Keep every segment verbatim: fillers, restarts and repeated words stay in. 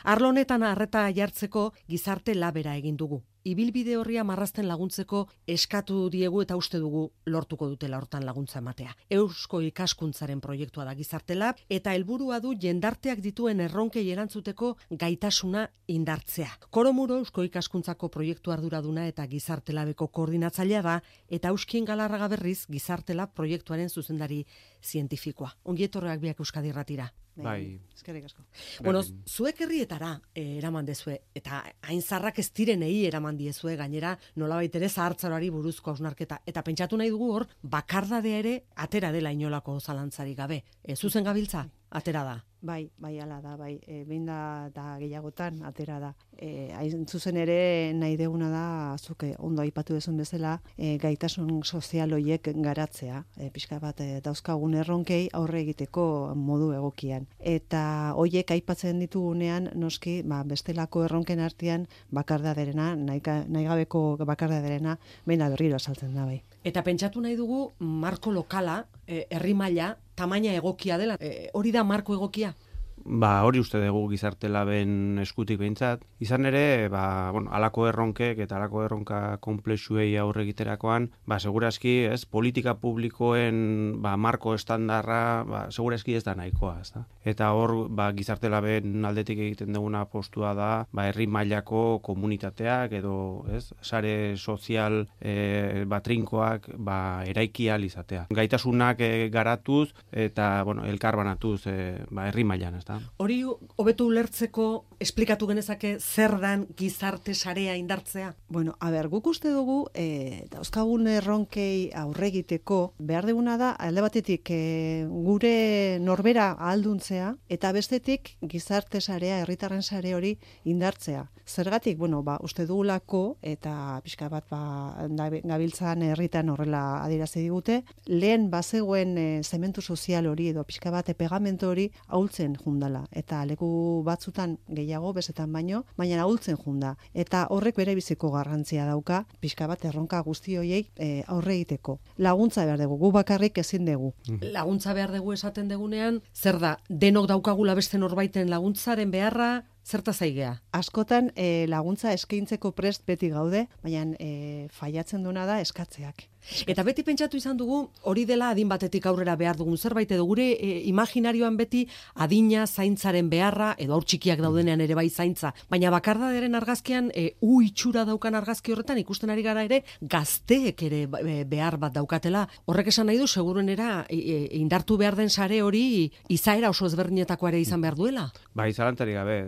Arlo honetan arreta jartzeko gizarte labera egin dugu. Ibilbide horria marrazten laguntzeko eskatu diegu eta uste dugu lortuko dutela hortan laguntza ematea. Eusko ikaskuntzaren proiektua da Gizarte Lab eta helburua du jendarteak dituen erronkei erantzuteko gaitasuna indartzea. Koromuro Eusko ikaskuntzako proiektu arduraduna eta Gizarte Labeko koordinatzailea da eta Euskien Galarraga berriz Gizarte Lab proiektuaren zuzendari zientifikoa. Ongi etorriak biak Euskadi Irratira. Bai. Eskerrik asko. Bueno, zuek herrietara eh, eraman dezue eta hain zarrak ez direnei eraman diezue gainera nolabait ere zahartzaroari buruzko hausnarketa eta pentsatu nahi dugu hor bakardadea ere atera dela inolako zalantzarik gabe. E, zuzen gabiltza atera da. Bai, bai ala da, bai. E, behin da, da gehiagotan atera da. E, hain zuzen ere nahi deguna da, zuke ondo aipatu dezun bezala, e, gaitasun sozial hoiek garatzea. E, pixka bat e, dauzkagun erronkei aurre egiteko modu egokian. Eta hoiek aipatzen ditugunean, noski, ba, bestelako erronken artean bakardaderena, nahi, nahi gabeko bakardaderena, behin da berriro azaltzen da, bai. Eta pentsatu nahi dugu marko lokala, e, herri maila, tamaina egokia dela. E, hori da marko egokia? Ba, hori uste dugu Gizarte Laben eskutik behintzat. Izan ere, ba, bueno, alako erronkek eta alako erronka konplexuei aurre egiterakoan, ba, segurazki, ez, politika publikoen, ba, marko estandarra, ba, segurazki ez da nahikoa, ez da. Eta hor, ba, Gizarte Laben aldetik egiten duguna postua da, ba, herri mailako komunitateak edo, ez, sare sozial e, batrinkoak, ba, eraiki ahal izatea. Gaitasunak e, garatuz eta, bueno, elkarbanatuz, e, ba, herri mailan, ez da. Hori hobetu ulertzeko esplikatu genezake zer dan gizarte sarea indartzea? Bueno, a ber, guk uste dugu e, dauzkagun erronkei aurre egiteko behar duguna da alde batetik e, gure norbera ahalduntzea eta bestetik gizarte sarea, herritarren sare hori indartzea. Zergatik, bueno, ba, uste dugulako eta pixka bat ba, gabiltzan herritan horrela adierazi digute, lehen bazegoen e, zementu sozial hori edo pixka bat pegamento hori ahultzen jundala. Eta leku batzutan gehiago, bezetan baino, baina ahultzen junda. Eta horrek bere biziko garrantzia dauka, pixka bat erronka guzti horiei e, aurre egiteko. Laguntza behar dugu, gu bakarrik ezin dugu. Laguntza behar dugu esaten degunean, zer da, denok daukagula beste norbaiten laguntzaren beharra, zerta zaigea? Askotan e, laguntza eskaintzeko prest beti gaude, baina e, faiatzen duna da eskatzeak. Eta beti pentsatu izan dugu, hori dela adin batetik aurrera behar dugun zerbait, edo gure e, imaginarioan beti adina zaintzaren beharra, edo aur txikiak daudenean ere bai zaintza. Baina bakardaderen argazkian, e, u itxura daukan argazki horretan, ikusten ari gara ere, gazteek ere behar bat daukatela. Horrek esan nahi du, seguruenera e, indartu behar den sare hori, izaera oso ezberdinetakoa ere izan behar duela? Bai, zalantari gabe.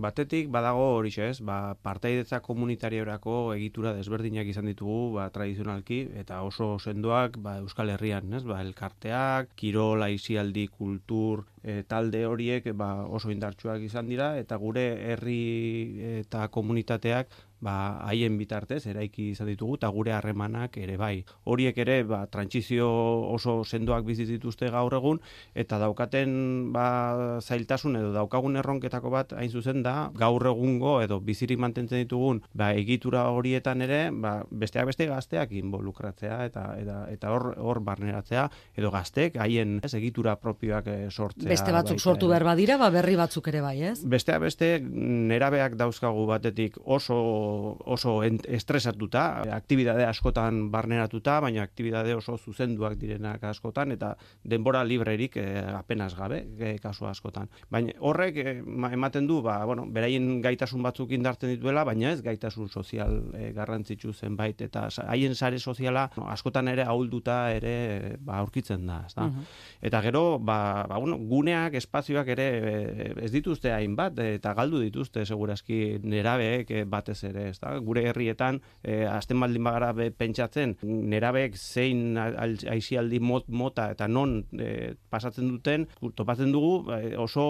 Batetik badago hori ez, ba, partaidetza komunitariorako egitura desberdinak izan ditugu, ba, tradizionalki, eta oso sendoak ba, Euskal Herrian, ez? Ba, elkarteak, kirol, aisialdi, kultur, e, talde horiek ba, oso indartsuak izan dira, eta gure herri eta komunitateak ba, haien bitartez eraiki izan ditugu eta gure harremanak ere bai. Horiek ere ba, trantsizio oso sendoak bizi dituzte gaur egun eta daukaten ba, zailtasun edo daukagun erronketako bat hain zuzen da gaur egungo edo bizirik mantentzen ditugun ba, egitura horietan ere ba, besteak beste gazteak involukratzea eta eta eta hor hor barneratzea edo gaztek haien ez, egitura propioak e, sortzea. Beste batzuk baita, sortu behar badira, ba, berri batzuk ere bai, ez? Besteak beste nerabeak dauzkagu batetik oso oso estresatuta, aktibidade askotan barneratuta, baina aktibidade oso zuzenduak direnak askotan, eta denbora librerik eh, apenas gabe, eh, kasu askotan. Baina horrek eh, ematen du, ba, bueno, beraien gaitasun batzuk indartzen dituela, baina ez gaitasun sozial eh, garrantzitsu zenbait, eta haien sare soziala no, askotan ere ahulduta ere ba, aurkitzen da. Ez da? Uh-huh. Eta gero, ba, ba, bueno, guneak, espazioak ere eh, ez dituzte hainbat, eta galdu dituzte segurazki nerabeek eh, batez ere. Ez da? Gure herrietan, eh, azten baldin bagara be, pentsatzen, nerabeek zein aisialdi mot, mota eta non eh, pasatzen duten, topatzen dugu eh, oso,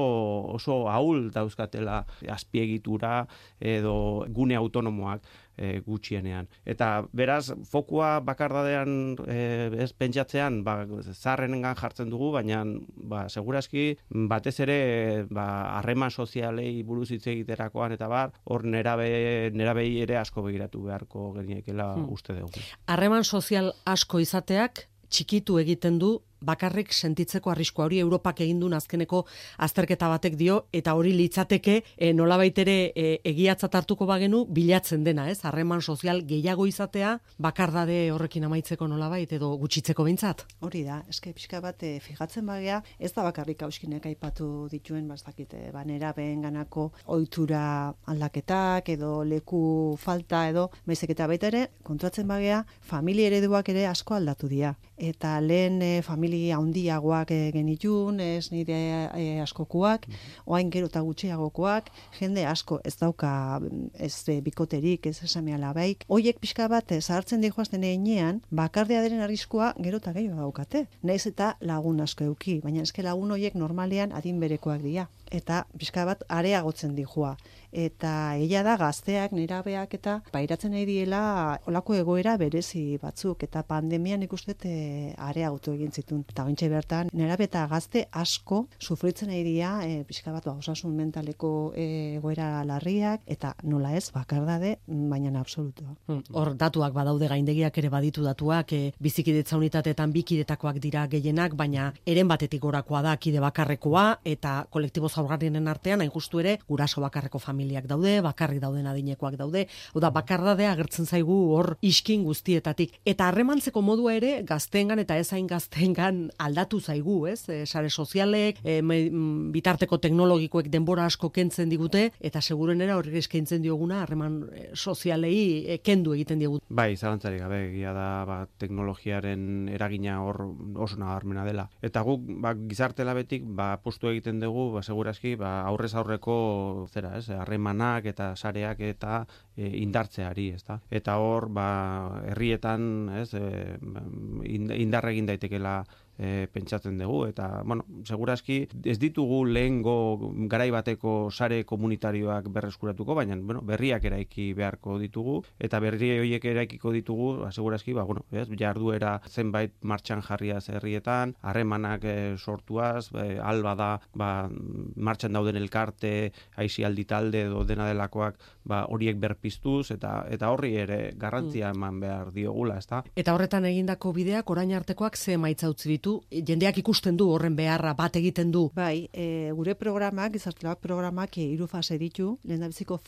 oso ahul dauzkatela azpiegitura edo gune autonomoak. E, gutxienean. Eta beraz, fokua bakardadean e, ez pentsatzean, ba, zaharrenengan jartzen dugu, baina ba, segurazki batez ere ba, harreman sozialei buruz hitz egiterakoan eta bar, hor nerabe, nerabei ere asko begiratu beharko geniekela hmm. uste dugu. Harreman sozial asko izateak txikitu egiten du bakarrik sentitzeko arriskua hori Europak egin duen azkeneko azterketa batek dio, eta hori litzateke e, nolabait ere e, egiatzat hartuko bagenu bilatzen dena, ez? Harreman sozial gehiago izatea, bakardade horrekin amaitzeko nolabait edo gutxitzeko behintzat. Hori da, eske pixka bat e, fijatzen bagea, ez da bakarrik hauskinek aipatu dituen, bastakite, banera behenganako ohitura aldaketak edo leku falta edo, baizik eta baita ere, kontuatzen bagea, familia ereduak ere asko aldatu dira. Eta lehen e, familia handiagoak e, genitun, ez nire e, askokuak, oain gero eta gutxiagokoak, jende asko ez dauka ez e, bikoterik, ez esame alabaik. Hoiek pixka bat e, zahartzen dihoazten eginean, bakardeaderen arriskua gero eta gehiago daukate. Naiz eta lagun asko euki, baina eske lagun hoiek normalean adin berekoak dira. Eta pixka bat areagotzen dijoa. Eta ella da gazteak, nerabeak eta pairatzen nahi diela olako egoera berezi batzuk. Eta pandemian ikustet e, areagotu egin zitun. Eta ointxe bertan, nerabe eta gazte asko sufritzen nahi dira e, pixka bat osasun mentaleko e, egoera larriak, eta nola ez, bakardade, baina absolutua. Hor datuak badaude, gaindegiak ere baditu datuak, e, bizikidetza unitateetan bikidetakoak dira gehienak, baina eren batetik gorakoa da kide bakarrekoa, eta kolektibo zaurgarrienen artean, hain justu ere, guraso bakarreko familiak daude, bakarrik dauden adinekoak daude, oda bakardadea agertzen zaigu hor iskin guztietatik. Eta harremantzeko modua ere, gazteengan eta ezain gazteengan aldatu zaigu, ez? E, sare sozialek, e, me, bitarteko teknologikoek denbora asko kentzen digute, eta segurenera horrek eskaintzen dioguna harreman sozialei e, kendu egiten diegu. Bai, zalantzarik gabe, egia da, ba, teknologiaren eragina hor oso nabarmena dela. Eta guk, ba, gizarte labetik, ba, apustu egiten dugu, ba, segurazki, ba, aurrez aurreko zera, ez, harremanak eta sareak eta e, indartzeari, ezta? Eta hor, ba, herrietan, ez, e, indar egin daitekela E, pentsatzen dugu, eta, bueno, segurazki ez ditugu lehengo garai bateko sare komunitarioak berreskuratuko, baina, bueno, berriak eraiki beharko ditugu, eta berri horiek eraikiko ditugu, ba, segurazki, ba, bueno, ez, jarduera zenbait martxan jarriaz herrietan, harremanak e, sortuaz, e, alba da, ba, martxan dauden elkarte, aisialdi talde edo dena delakoak, ba, horiek berpiztuz, eta eta horri ere garrantzia eman behar diogula, ezta? Eta horretan egindako bideak orain artekoak ze emaitza utzi ditu? Jendeak ikusten du horren beharra bat egiten du. Bai, e, gure programak, gizartelabak programak e, hiru fase ditu. Lehendabiziko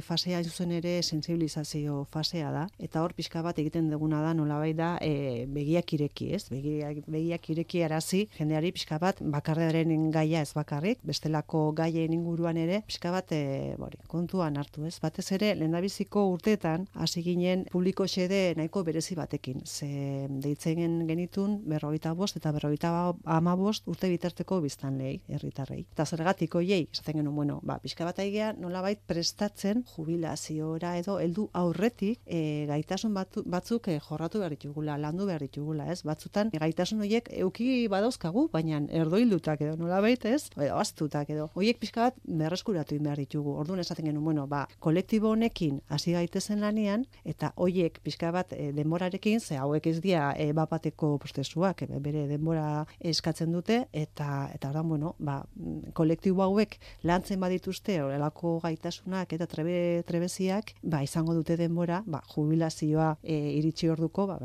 fasea zuzen ere sensibilizazio fasea da, eta hor pixka bat egiten duguna da nolabait da e, begiak ireki, ez? Begiak, begiak ireki arazi jendeari pixka bat bakarrearen gaia ez bakarrik, bestelako gaien inguruan ere pixka bat e, bori, kontuan hartu, ez? Batez ere lehendabiziko urteetan hasi ginen publiko xede nahiko berezi batekin. Ze deitzen genitun berrogeita bost eta berrogeita hamabost urte bitarteko biztanleei, herritarrei. Eta zergatik hoiei, esaten genuen, bueno, ba, pixka bat aigea nolabait prestatzen jubilaziora edo heldu aurretik e, gaitasun batu, batzuk e, jorratu behar ditugula, landu behar ditugula, ez? Batzutan e, gaitasun horiek euki badauzkagu, baina erdoildutak edo nolabait, ez? Edo aztutak edo. Hoiek pixka bat berreskuratu behar ditugu. Orduan esaten genuen, bueno, ba, kolektibo honekin hasi gaitezen lanian, eta hoiek pixka bat e, denborarekin, ze hauek ez dira e, bapateko prozesuak, e, bere denbora eskatzen dute, eta eta ordan, bueno, ba, kolektibo hauek lantzen badituzte horrelako gaitasunak eta trebe, trebeziak, ba, izango dute denbora, ba, jubilazioa e, iritsi orduko, ba,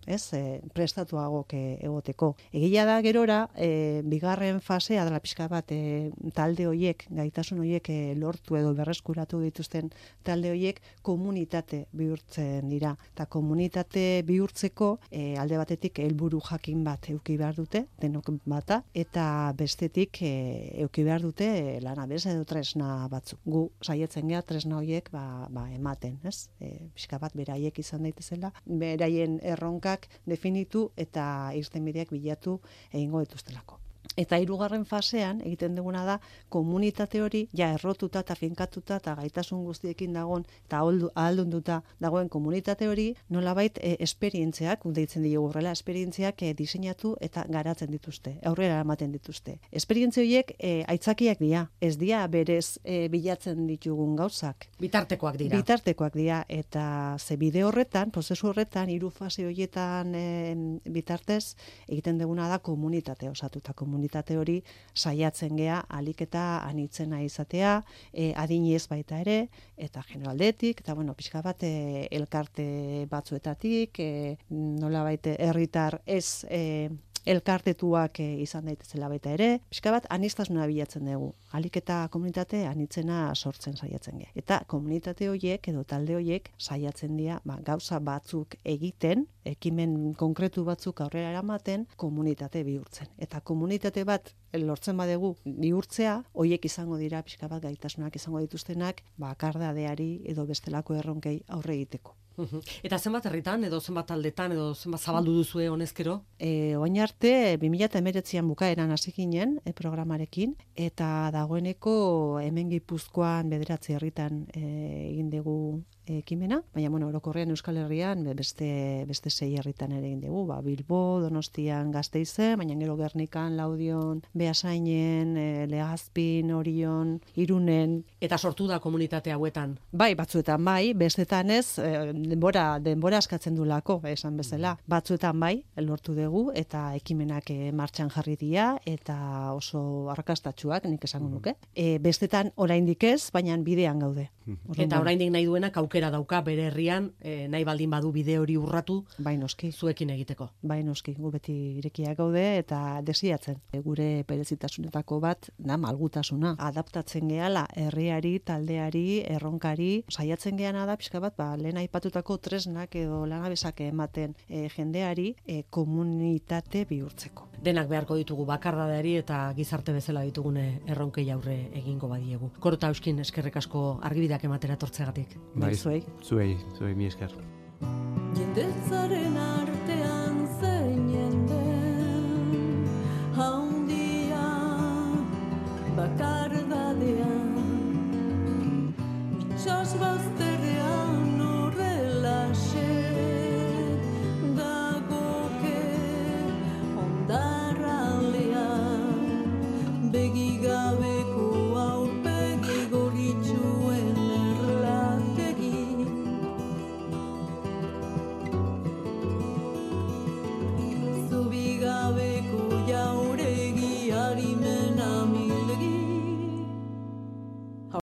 ez, e, prestatuagok e, egoteko. Egia da gerora, e, bigarren fasea dela pixka bat e, talde hoiek, gaitasun hoiek e, lortu edo berreskuratu dituzten talde hoiek komunitate bihurtzen dira. Eta komunitate bihurtzeko e, alde batetik helburu jakin bat euki behar dute, denok bata, eta bestetik e, euki behar dute e, lanabes edo tresna batzuk. Gu saietzen gea tresna hoiek ba, ba, ematen, ez? E, pixka bat beraiek izan daitezela, beraien erronka definitu eta irtenbideak bilatu egingo dituztelako. Eta hirugarren fasean egiten duguna da komunitate hori ja errotuta eta finkatuta eta gaitasun guztiekin dagoen eta ahaldunduta dagoen komunitate hori nolabait e, esperientziak, deitzen diogu horrela, esperientziak e, diseinatu eta garatzen dituzte, aurrera ematen dituzte. Esperientzia horiek e, aitzakiak dira, ez dira berez e, bilatzen ditugun gauzak. Bitartekoak dira. Bitartekoak dira, eta ze bide horretan, prozesu horretan, hiru fase horietan e, bitartez egiten duguna da komunitate osatuta komunitate. Komunitate hori saiatzen gea alik eta anitzena izatea, e, adinez baita ere, eta generaldetik, eta bueno, pixka bat e, elkarte batzuetatik, e, nola baite herritar ez e, elkartetuak e, izan daitezela baita ere, pixka bat anistasuna bilatzen dugu. Alik eta komunitate anitzena sortzen saiatzen ge. Eta komunitate horiek edo talde horiek saiatzen dira ba, gauza batzuk egiten, ekimen konkretu batzuk aurrera eramaten, komunitate bihurtzen. Eta komunitate bat lortzen badegu bihurtzea, horiek izango dira pixka bat gaitasunak izango dituztenak, bakardadeari edo bestelako erronkei aurre egiteko. Eta zenbat herritan, edo zenbat taldetan, edo zenbat zabaldu duzue honezkero? E, oin arte, bi mila hemeretzian bukaeran hasi ginen e, programarekin, eta dagoeneko hemen Gipuzkoan bederatzi herritan e, egin dugu ekimena, baina bueno, orokorrean Euskal Herrian beste beste sei herritan ere egin dugu, ba, Bilbo, Donostian, Gasteizen, baina gero Gernikan, Laudion, Beasainen, e, Legazpin, Orion, Irunen, eta sortu da komunitate hauetan. Bai, batzuetan bai, bestetan ez, e, denbora denbora askatzen dulako, esan bezala. Batzuetan bai, lortu dugu eta ekimenak e, martxan jarri dira eta oso arrakastatsuak, nik esango nuke. E, bestetan oraindik ez, baina bidean gaude. Eta oraindik nahi duenak aukera dauka bere herrian, e, nahi baldin badu bide hori urratu, bai noski, zuekin egiteko. Bai noski, gu beti irekiak gaude eta desiatzen. E, gure berezitasunetako bat da malgutasuna. Adaptatzen gehala herriari, taldeari, erronkari, saiatzen geana da pixka bat, ba, lehen aipatutako tresnak edo lanabesak ematen e, jendeari e, komunitate bihurtzeko. Denak beharko ditugu bakardadeari eta gizarte bezala ditugune erronkei aurre egingo badiegu. Korota Euskin, eskerrik asko argibideak ematera tortzegatik. Bai, zuei. Zuei, zuei mi esker. Jendetzaren artean zein jenden haundia bakardadean itxas bazterrean